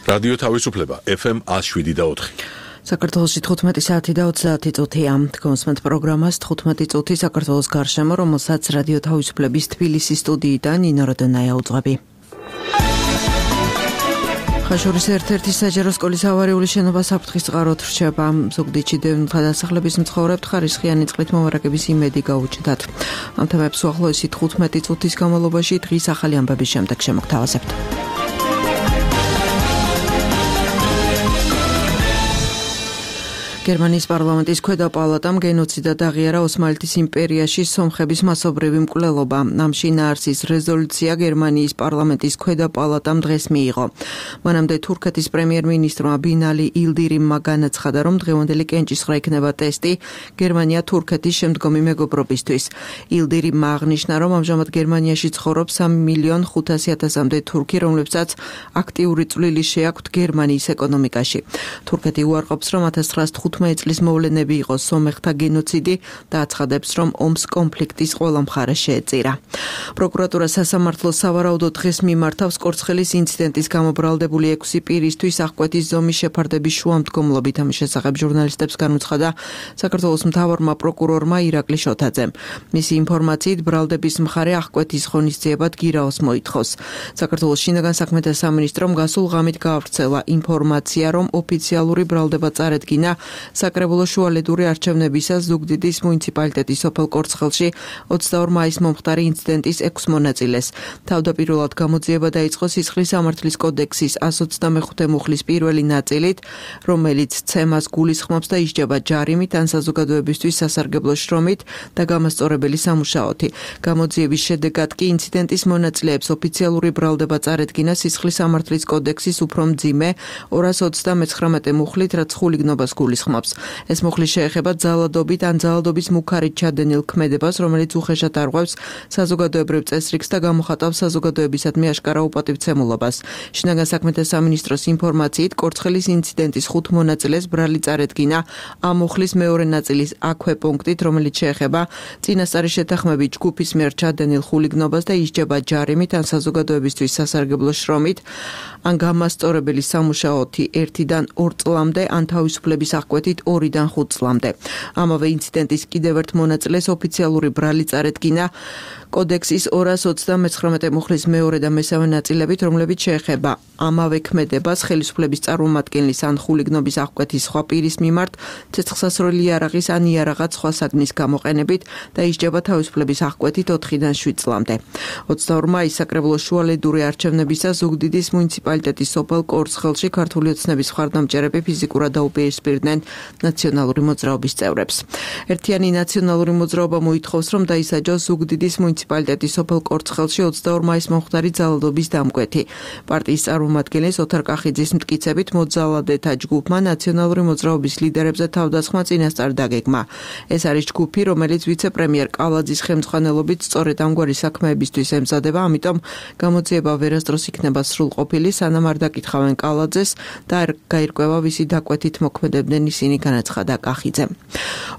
რადიო თავისუფლება FM 107.4. საქართველოში 15 საათი და 30 წუთია. გონსმენთ პროგრამას 15 წუთი საქართველოს გარშემო, რომელსაც რადიო თავისუფლების თბილისის სტუდიიდან ნინო როდონაია უძღვები. ხაშურის ერთ-ერთი საჯარო სკოლის ავარიული შენობა საფრთხის წყაროდ რჩება. ზუგდიდში დევნილთა დასახლების მცხოვრებთ ხარისხიანი წყლით მომარაგების იმედი გაუჩნდათ. ამ თემებს უახლოესი 15 წუთის განმავლობაში დღის ახალი ამბების შემდეგ შემოგთავაზებთ. გერმანიის პარლამენტის ქვედა პალატამ გენოციდად აღიარა ოსმალეთის იმპერიაში სომხების მასობრივი მკვლელობა. ამ შინაარსის რეზოლუცია გერმანიის პარლამენტის ქვედა პალატამ დღეს მიიღო. მანამდე თურქეთის პრემიერ-მინისტრმა ბინალი ილდირიმმა განაცხადა, რომ დღევანდელი კენჭისყრა იქნება ტესტი გერმანია-თურქეთის შემდგომი მეგობრობისთვის. ილდირიმმა აღნიშნა, რომ ამჟამად გერმანიაში ცხოვრობს 3.500.000-მდე თურქი, რომლებსაც აქტიური წვლილი შეაქვთ გერმანიის ეკონომიკაში. თურქეთი უარყოფს, რომ 1915 წლის მოვლენები იყო სომეხთა გენოციდი და აცხადებს, რომ ომს კონფლიქტის ყველა მხარე შეეწირა. პროკურატურა სასამართლოს სავარაუდოდ დღეს მიმართავს კორცხელის ინციდენტის გამობრალდებული 6 პირისთვის აღკვეთის ზომის შეფარდების შუამდგომლობით. ამის შესახებ ჟურნალისტებს განუცხადა საქართველოს მთავარმა პროკურორმა ირაკლი შოთაძემ. მისი ინფორმაციით, ბრალდების მხარე აღკვეთის ღონისძიებად გირაოს მოითხოვს. საქართველოს შინაგან საქმეთა სამინისტრომ გასულ ღამით გაავრცელა ინფორმაცია, რომ ოფიციალური ბრალდება წარედგინა საკრებულო შუალედური არჩევნებისას ზუგდიდის მუნიციპალიტეტის სოფელ კორცხელში 22 მაისს მომხდარი ინციდენტის 6 მონაწილეს. თავდაპირველად გამოძიება დაიწყო სისხლის სამართლის კოდექსის 125 მუხლის პირველი ნაწილით, რომელიც ცემას გულისხმობს და ისჯება ჯარიმით ან საზოგადოებისთვის სასარგებლო შრომით და გამასწორებელი სამუშაოთი. გამოძიების შედეგად კი ინციდენტის მონაწილეებს ოფიციალური ბრალდება წარედგინა სისხლის სამართლის კოდექსის უფრო მძიმე 239 მუხლით, რაც ხულიგნობას გულისხმობს. ეს მუხლი შეეხება ძალადობით ან ძალადობის მუქარით ჩადენილ ქმედებას, რომელიც უხეშად არღვევს საზოგადოებრივ წესრიგს და გამოხატავს საზოგადოებისადმი აშკარა უპატივცემულობას. შინაგან საქმეთა სამინისტროს ინფორმაციით, კორცხელის ინციდენტის 5 მონაწილეს ბრალი წარედგინა ამ მუხლის მეორე ნაწილის აქვე პუნქტით, რომელიც შეეხება წინასწარი შეთანხმებით ჯგუფის მიერ ჩადენილ ხულიგნობას და ისჯება ჯარიმით ან საზოგადოებისთვის სასარგებლო შრომით, ან გამასწორებელი სამუშაოთი 1-დან 2 წლამდე, ან თავისუფლების აღკვეთით 2-დან 5 წლამდე. ამავე ინციდენტის კიდევ ერთ მონაწილეს ოფიციალური ბრალი წარედგინა კოდექსის 229 მუხლის მეორე და მესამე ნაწილებით, რომლებიც შეეხება ამავე ქმედებას ხელისუფლების წარმომადგენლის ან ხულიგნობის აღკვეთის სხვა პირის მიმართ ცეცხლსასროლი იარაღის ან იარაღად სხვა საგნის გამოყენებით და ისჯება თავისუფლების აღკვეთით 4-დან 7 წლამდე. 22 მაისს საკრებულო შუალედური არჩევნებისას ზუგდიდის მუნიციპალიტეტის სოფელ კორცხელში ქართული ოცნების მხარდამჭერები ფიზიკურად დაუპირისპირდნენ ნაციონალური მოძრაობის წევრებს. ერთიანი ნაციონალური მოძრაობა მოითხოვს, რომ დაისაჯოს ზუგდიდის მუნიციპალიტეტის სოფელ კორცხელში 22 მაისს მომხდარი ძალადობის დამკვეთი. პარტიის წარმომადგენლის ოთარ კახიძის მტკიცებით, მოძალადეთა ჯგუფმა ნაციონალური მოძრაობის ლიდერებზე თავდასხმა წინასწარ დაგეგმა. ეს არის ჯგუფი, რომელიც ვიცე-პრემიერ კალაძის ხელმძღვანელობით სწორედ ამგვარი საქმეებისთვის ემზადება, ამიტომ გამოძიება ვერასდროს იქნება სრულყოფილი, სანამ არ დაკითხავენ კალაძეს და არ გაირკვევა ვისი დაკვეთით მოქმედებდნენ ისინი, განაცხადა კახიძემ.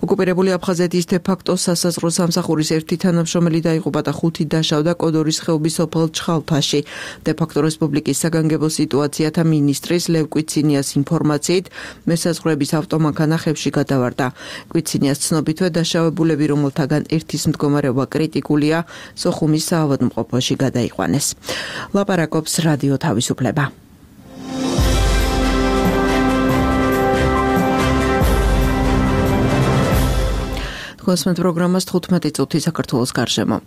ოკუპირებული აფხაზეთის დე-ფაქტო სასაზღვრო სამსახურის ერთი თანამშრომელი დაიღუპა და 5 დაშავდა კოდორის ხეობის სოფელ ჩხალფაში. დე-ფაქტო რესპუბლიკის საგანგებო სიტუაციათა მინისტრის ლევ კვიცინიას ინფორმაციით, მესაზღვრეების ავტომანქანა ხევში გადავარდა. კვიცინიას ცნობითვე დაშავებულები, რომელთაგან ერთის მდგომარეობა კრიტიკულია, სოხუმის საავადმყოფოში გადაიყვანეს. ლაპარაკობს რადიო თავისუფლება. გონსმენთ პროგრამას 15 წუთი საქართველოს გარშემო.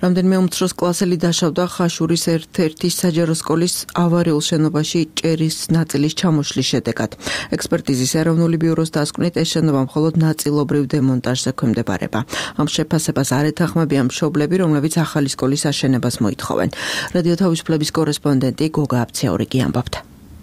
რამდენიმე უმცროს კლასელი დაშავდა ხაშურის ერთ-ერთი საჯარო სკოლის ავარიულ შენობაში ჭერის ნაწილის ჩამოშლის შედეგად. ექსპერტიზის ეროვნული ბიუროს დასკვნით, ეს შენობა მხოლოდ ნაწილობრივ დემონტაჟზე ექვემდებარება. ამ შეფასებას არ ეთანხმებიან მშობლები, რომლებიც ახალი სკოლის აშენებას მოითხოვენ. რადიო თავისუფლების კორესპონდენტი გოგა აბციაურიგი ამბობდა.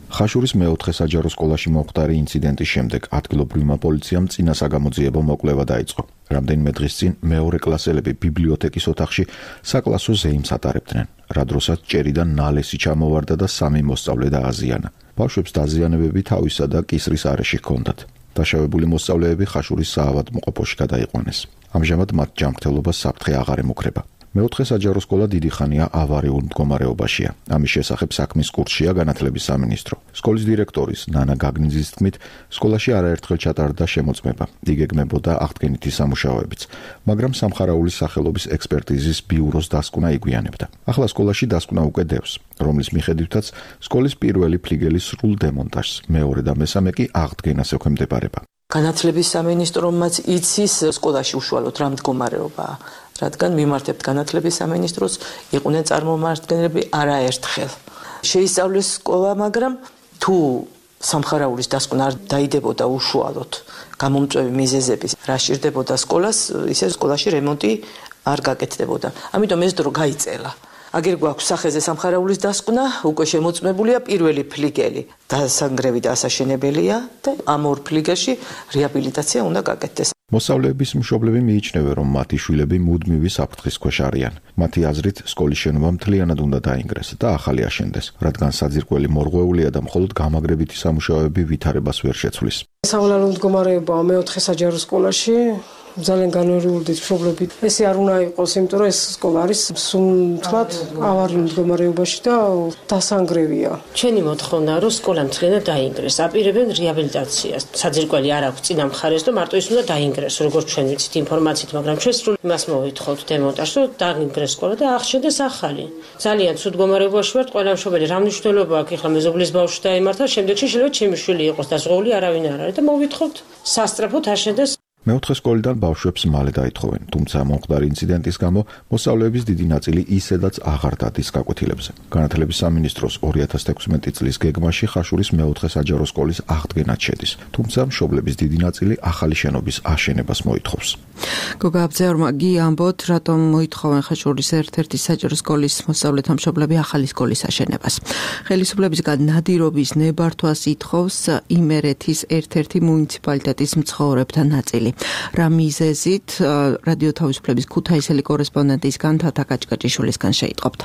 ხაშურის მეოთხე საჯარო სკოლაში მომხდარი ინციდენტის შემდეგ ადგილობრივმა პოლიციამ წინა საგამოძიებო მოკვლევა დაიწყო. რამდენიმე დღის წინ მეორე კლასელები ბიბლიოთეკის ოთახში საკლასო ზეიმს ატარებდნენ, რა დროსაც ჭერიდან ნალესი ჩამოვარდა და 3 მოსწავლე დააზიანა. ბავშვებს დაზიანებები თავისა და კისრის არეში ჰქონდათ. დაშავებული მოსწავლეები ხაშურის საავადმყოფოში გადაიყვანეს. ამჟამად მათ ჯანმრთელობას საფრთხე აღარ ემუქრება. მეოთხე საჯარო სკოლა დიდი ხანია ავარიულ მდგომარეობაშია. ამის შესახებ საქმის კურსშია განათლების სამინისტრო. სკოლის დირექტორის ნანა გაგნიძის თქმით, სკოლაში არაერთხელ ჩატარდა შემოწმება. იგეგმებოდა აღდგენითი სამუშაოებიც, მაგრამ სამხარაულის სახელობის ექსპერტიზის ბიუროს დასკვნა იგვიანებდა. ახლა სკოლაში დასკვნა უკვე დევს, რომლის მიხედვითაც სკოლის პირველი ფლიგელის სრულ დემონტაჟს, მეორე და მესამე კი აღდგენას ექვემდებარება. განათლების სამინისტრომაც იცის სკოლაში უშუალოდ რა მდგომარეობაა, რადგან მიმართებთ განათლების სამინისტროს, იყვნენ წარმომადგენლები არაერთხელ. შეისწავლეს სკოლა, მაგრამ თუ სამხარაულის დასკვნა არ დაიდებოდა უშუალოდ გამომწვევი მიზეზების, რა სჭირდებოდა სკოლას, ისე სკოლაში რემონტი არ გაკეთდებოდა. ამიტომ ეს დრო გაიწელა. აგერ გვაქვს სახეზე სამხარაულის დასკვნა, უკვე შემოწმებულია პირველი ფლიგელი. დასანგრევი და ასაშენებელია და ამ ორ ფლიგელში რეაბილიტაცია უნდა გაკეთდეს. მოსწავლეების მშობლები მიიჩნევენ, რომ მათი შვილები მუდმივი საფრთხის ქვეშ არიან. მათი აზრით, სკოლის შენობა მთლიანად უნდა დაინგრეს და ახალი აშენდეს, რადგან საძირკველი მორღვეულია და მხოლოდ გამაგრებითი სამუშაოები ვითარებას ვერ შეცვლის. სავალალო მდგომარეობაა მეოთხე საჯარო სკოლაში. ძალიან განვერიული მშობლებით. ესე არ უნდა იყოს, იმიტომ რომ ეს სკოლა არის სულ ავარიულ მდგომარეობაში და დასანგრევია. ჩვენი მოთხოვნა რომ სკოლა მთლიანად დაინგრეს, აპირებენ რეაბილიტაციას. საძირკველი არ აქვს წინა მხარეს და მარტო ის უნდა დაინგრეს, როგორც ჩვენ ვიცით ინფორმაციით, მაგრამ ჩვენ სრულ იმას მოვითხოვთ დემონტაჟს, რომ დაინგრეს სკოლა და აღშენდეს ახალი. ძალიან ცუდ მდგომარეობაში ვართ, ყველა მშობელი რა მნიშვნელობა აქვს, ეხლა მეზობლის ბავშვი დაემართა, შემდეგში შეიძლება ჩემი შვილი იყოს და ზღოვლი არავინ არ არის და მოვითხოვთ სასწრაფოდ აშენდეს. მეოთხე სკოლიდან ბავშვებს მალე დაითხოვენ, თუმცა მომხდარი ინციდენტის გამო მოსწავლეების დიდი ნაწილი ისედაც აღარ დადის გაკვეთილებზე. განათლების სამინისტროს 2016 წლის გეგმაში ხაშურის მეოთხე საჯარო სკოლის აღდგენაც შედის, თუმცა მშობლების დიდი ნაწილი ახალი შენობის აშენებას მოითხოვს. გოგა აბძეორმა ამბობთ, რატომ მოითხოვენ ხაშურის ერთ-ერთი საჯარო სკოლის მოსწავლეთა მშობლები ახალი სკოლის აშენებას. ხელისუფლებისგან ნადირობის ნებართვას ითხოვს იმერეთის ერთ-ერთი მუნიციპალიტეტის მცხოვრებთა ნაწილი. რა მიზეზით რადიო თავისუფლების ქუთაისელი კორესპონდენტისგან თათა კაჭკაჭიშვილისგან შეიტყობთ.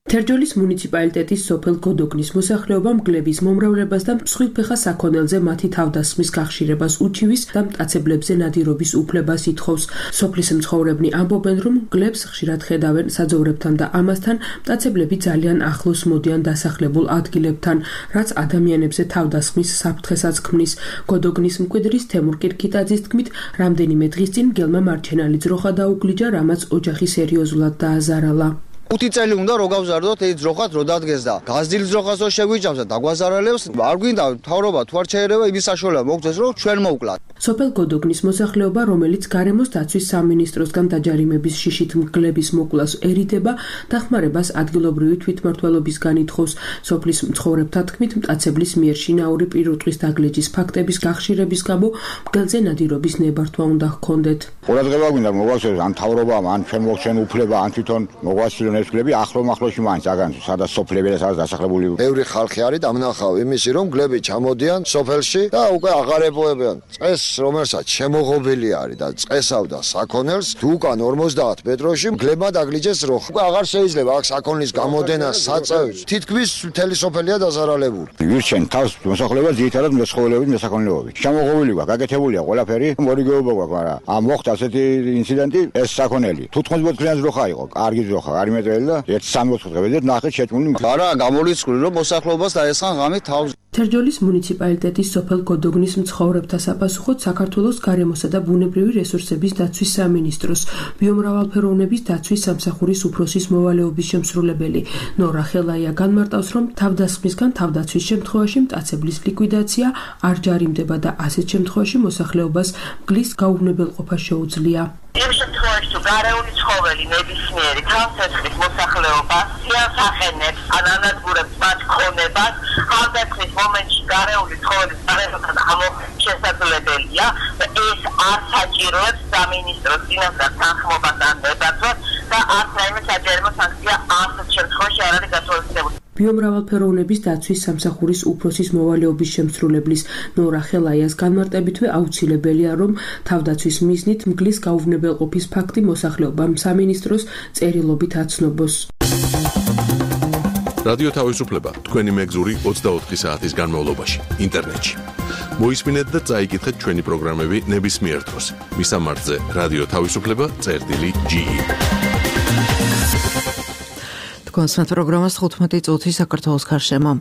თერჯოლის მუნიციპალიტეტის სოფელ გოდოგნის მოსახლეობა მგლების მომრავლებას და მსხვილფეხა საქონელზე მათი თავდასხმის გახშირებას უჩივის და მტაცებლებზე ნადირობის უფლებას ითხოვს. სოფლის მცხოვრებნი ამბობენ, რომ მგლებს ხშირად ხედავენ საძოვრებთან და ამასთან მტაცებლები ძალიან ახლოს მოდიან დასახლებულ ადგილებთან, რაც ადამიანებზე თავდასხმის საფრთხესაც ქმნის. გოდოგნის მკვიდრის თემურ კირქიტაძის თქმით, რამდენიმე დღის წინ მგელმა მარჩენალი ძროხა დაუგლიჯა, რამაც ოჯახი სერიოზულად დააზარალა. 5 წელი უნდა რო გავზარდოთ ეს ძროხად რო დადგეს და გაზრდილ ძროხას რო შეგვიჭამს და დაგვაზარალებს, არ გვინდა მთავრობა თუ არ შეერევა იმის საშუალება მოგწეს რომ ჩვენ მოვკლათ. სოფელ გოდოგნის მოსახლეობა, რომელიც გარემოს დაცვის სამინისტროსგან დაჯარიმების შიშით მგლების მოკვლას ერიდება, დახმარებას ადგილობრივი თვითმმართველობისგან ითხოვს. სოფლის მცხოვრებთა თქმით, მტაცებლის მიერ შინაური პირუტყვის დაგლეჯის ფაქტების გახშირების გამო მგელზე ნადირობის ნებართვა უნდა ჰქონდეთ. ყურადღება გვინდა მოგვასწროს ან მთავრობამ, ან ჩვენ მოგჩენ უფლება, ან თვითონ მოგვასწრონ ეს ფლები ახლო-ახლოში მაინც აგან სადაც სოფლები და სადაც დასახლებული. ბევრი ხალხი არის დამნახავ იმისი, რომ მგლები ჩამოდიან სოფელში და უკვე აღარ ეპოვებიან. წეს რომელსაც შემოღობილი არის და წესავდა საქონელს, თუ უკან 50 მეტროში მგლებმა დაგლიჯეს ძროხა. უკვე აღარ შეიძლება აქ საქონლის გამოდენა საწევს. თითქმის მთელი სოფელია დაზარალებული. ვირჩენ თავს მოსახლეობას ძირითადად მეცხოველეობით, მესაქონლეობით. შემოღობილი გვაქვს, გაკეთებულია ყველაფერი, მორიგეობა გვაქვს, მაგრამ ამ მოხდა ასეთი ინციდენტი, ეს საქონელი. 14-წლიანი ძროხა იყო, კარგი ძროხა, არ იმეტრელი და 1-3 დღე ვეძებთ ნახეთ შეჭმული. არა, გამოლიცვლი რომ მოსახლეობას დაესხან ღამით თავს. თერჯოლის მუნიციპალიტეტის სოფელ გოდოგნის მცხოვრებთა საფასუხოდ საქართველოს გარემოსა და ბუნებრივი რესურსების დაცვის სამინისტროს ბიომრავალფეროვნების დაცვის სამსახურის უფროსის მოვალეობის შემსრულებელი ნორა ხელაია განმარტავს, რომ თავდასხმისგან თავდაცვის შემთხვევაში მტაცებლის ლიკვიდაცია არ ჯარიმდება და ასეთ შემთხვევაში მოსახლეობას მგლის გაუვნებელყოფა შეუძლია. იმ შემთხვევაში თუ გარეული ცხოველი ნებისმიერი თავსაცრის მოსახლეობას სიას ახენებს ან ანადგურებს მათ ქონებას, თავდაცვის მომენტში გარეული ცხოველის გარემოსთან შესაძლებელია და ეს არ საჭიროებს სამინისტროს წინასწარ თანხმობას ან ნებართვას და არც რაიმე საჯარო სანქცია ასეთ შემთხვევაში არ არის გათვალისწინებული. ბიომრავალფეროვნების დაცვის სამსახურის უფროსის მოვალეობის შემსრულებლის ნორა ხელაიას განმარტებითვე აუცილებელია, რომ თავდაცვის მიზნით მგლის გაუვნებელყოფის ფაქტი მოსახლეობამ სამინისტროს წერილობით აცნობოს. რადიო თავისუფლება თქვენი მეგზური 24 საათის განმავლობაში ინტერნეტში. მოისმინეთ და წაიკითხეთ ჩვენი პროგრამები ნებისმიერ დროს. მისამართზე რადიო თავისუფლება წერტილი GE. კონსტანტ პროგრამას 15 წუთი საქართველოს გარშემო.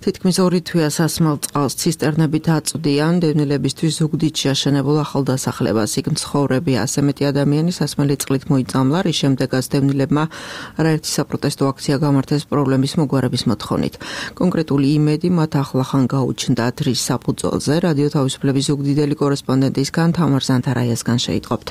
თითქმის 2 თვეა სასმელ წყალს ცისტერნებით აწვდიან დევნილებისთვის ზუგდიდში აშენებულ ახალდასახლებას. იქ მცხოვრები ასე მეტი ადამიანი სასმელი წყლით მოიწამლა, რის შემდეგაც დევნილებმა არაერთი საპროტესტო აქცია გამართეს პრობლემის მოგვარების მოთხოვნით. კონკრეტული იმედი მათ ახლახან გაუჩნდათ, რის საფუძველზე რადიო თავისუფლების ზუგდიდელი კორესპონდენტისგან თამარ ზანთარაიასგან შეიტყობთ.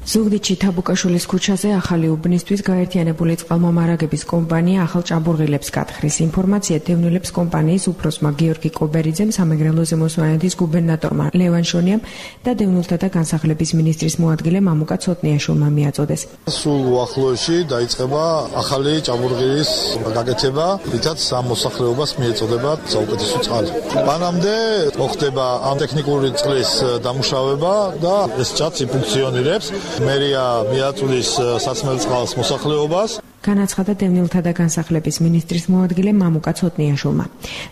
ზუგდიდში თაბუკაშვილის ქუჩაზე ახალი უბნისთვის გაერთიანებული წყალმომარაგების კომპანია ახალ ჭაბურღილებს გათხრის. ინფორმაცია დევნილებს კომპანიის უფროსმა გიორგი კობერიძემ, სამეგრელო ზემოსვანეთის გუბერნატორმა ლევან შონიამ და დევნილთა და განსახლების მინისტრის მოადგილე მამუკა ცოტნიაშვილმა მიაწოდეს. სულ უახლოეში დაიწყება ახალი ჭაბურღილის გაკეთება, რითაც ამ მოსახლეობას მიეწოდება საუკეთესო წყალი. მანამდე მოხდება ამ ტექნიკური წყლის დამუშავება და ეს ჭაცი ფუნქციონირებს. მერია მიაწვდის სასმელ წყალს მოსახლეობას. განაცხადა დევნილთა და განსახლების მინისტრის მოადგილე მამუკა ცოტნიაშვილმა.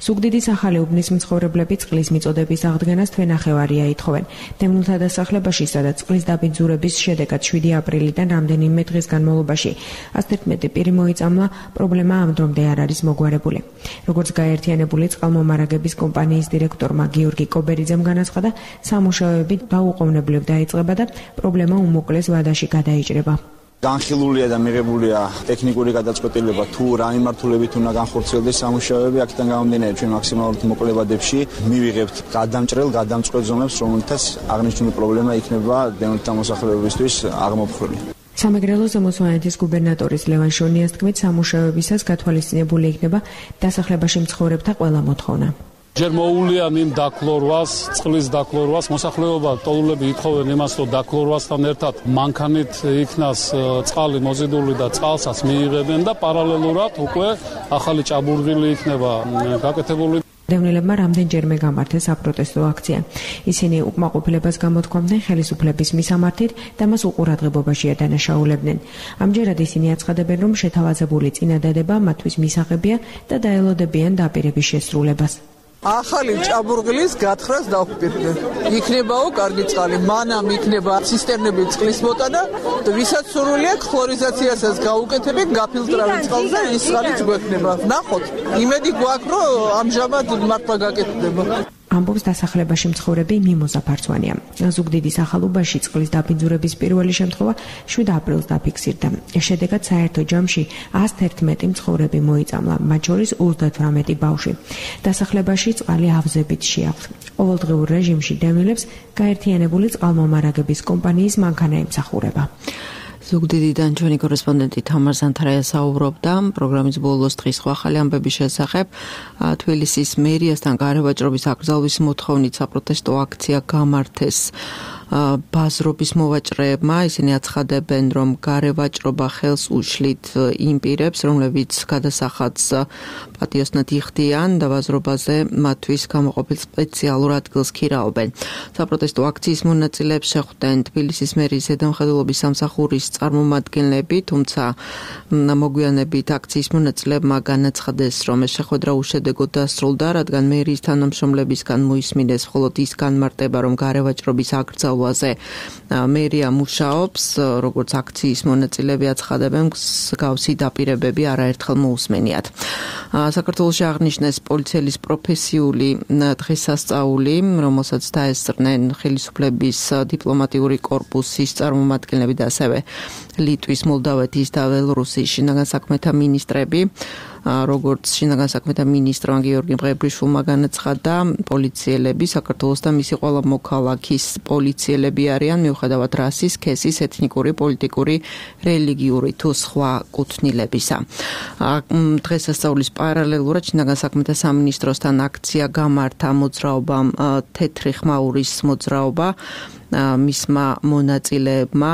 ზუგდიდის ახალი უბნის მცხოვრებლები წყლის მიწოდების აღდგენას თვენახევარია ითხოვენ. დევნილთა დასახლებაში, სადაც წყლის დაბინძურების შედეგად 7 აპრილიდან რამდენიმე დღის განმავლობაში 111 პირი მოიწამლა, პრობლემა ამ დრომდე არ არის მოგვარებული. როგორც გაერთიანებული წყალმომარაგების კომპანიის დირექტორმა გიორგი კობერიძემ განაცხადა, სამუშაოები დაუყოვნებლივ დაიწყება და პრობლემა უმოკლეს ვადაში გადაიჭრება. განხილულია და მიღებულია ტექნიკური გადაწყვეტილება თუ რა მიმართულებით უნდა განხორციელდეს სამუშაოები. აქედან გამომდინარე ჩვენ მაქსიმალურად მოკლე ვადებში მივიღებთ გადამწყვეტ ზომებს, რომელთაც აღნიშნული პრობლემა იქნება დევნილთა მოსახლეობისთვის აღმოფხვრილი. სამეგრელო ზემოსვანეთის გუბერნატორის ლევან შონიას თქმით, სამუშაოებისას გათვალისწინებული იქნება დასახლებაში მცხოვრებთა ყველა მოთხოვნა. ჯერ მოუვლია იმ დაქლორვას, წყლის დაქლორვას, მოსახლეობა ტოლულები ითხოვენ იმას, რომ დაქლორვასთან ერთად მანქანით იქნას წყალი მოზიდული და წყალსაც მიიღებენ და პარალელურად უკვე ახალი ჭაბურღილი იქნება გაკეთებული. დევნილებმა რამდენჯერმე გამართეს საპროტესტო აქცია. ისინი უკმაყოფილებას გამოთქვამდნენ ხელისუფლების მისამართით და მას უყურადღებობაში ადანაშაულებდნენ. ამჯერად ისინი აცხადებენ, რომ შეთავაზებული წინადადება მათთვის მისაღებია და დაელოდებიან დაპირების შესრულებას. ახალი ჭაბურღილის გათხრას დავხპირდნენ. იქნებაო კარგი წყალი, მანამ იქნება ცისტერნებით წყლის მოტანა, ვისაც სურვილი აქვს ხლორიზაციასაც გაუკეთებენ, გაფილტრავენ წყალზე, ის წყალიც გვექნება. ნახოთ, იმედი გვაქვს, რომ ამჟამად მართლა გაკეთდება. ამბობს დასახლებაში მცხოვრები მიმოზა ფარცვანია. ზუგდიდის ახალუბაში წყლის დაბინძურების პირველი შემთხვევა 7 აპრილს დაფიქსირდა. შედეგად საერთო ჯამში 111 მცხოვრები მოიწამლა, მათ შორის 38 ბავშვი. დასახლებაში წყალი ავზებით შეაქვთ. ყოველდღიურ რეჟიმში დევნილებს გაერთიანებული წყალმომარაგების კომპანიის მანქანა ემსახურება. ზუგდიდიდან ჩვენი კორესპონდენტი თამარ ზანთარაია საუბრობდა პროგრამის ბოლოს დღის ახალი ამბების შესახებ. თბილისის მერიასთან გარევაჭრობის აკრძალვის მოთხოვნით საპროტესტო აქცია გამართეს ბაზრობის მოვაჭრეებმა. ისინი აცხადებენ, რომ გარევაჭრობა ხელს უშლით იმ პირებს, რომლებიც გადასახადს პატიოსნად იხდიან და ბაზრობაზე მათთვის გამოყოფილ სპეციალურ ადგილს ქირაობენ. საპროტესტო აქციის მონაწილეებს შეხვდნენ თბილისის მერიის ზედამხედველობის სამსახურის წარმომადგენლები, თუმცა მოგვიანებით აქციის მონაწილეებმა განაცხადეს, რომ ეს შეხვედრა უშედეგოდ დასრულდა, რადგან მერიის თანამშრომლებისგან მოისმინეს მხოლოდ ის განმარტება, რომ გარევაჭრობის აკრძალვაზე მერია მუშაობს, როგორც აქციის მონაწილეები აცხადებენ, მსგავსი დაპირებები არაერთხელ მოусმენიათ. საქართველოში აღნიშნეს პოლიციელის პროფესიული დღესასწაული, რომელსაც დაესწრნენ ხელისუფლების დიპლომატიური კორპუსის წარმომადგენლები და ასევე ლიტვის, მოლდავეთის და ბელორუსის შინაგან საქმეთა მინისტრები. როგორც შინაგან საქმეთა მინისტრმა გიორგი მღებრიშვილმა განაცხადა, პოლიციელები საქართველოს და მისი ყველა მოქალაქის პოლიციელები არიან მიუხედავად რასის, სქესის, ეთნიკური, პოლიტიკური, რელიგიური თუ სხვა კუთვნილებისა. დღესასწაულის პარალელურად შინაგან საქმეთა სამინისტროსთან აქცია გამართა მოძრაობამ თეთრი ხმაურის მოძრაობა. მისმა მონაწილეებმა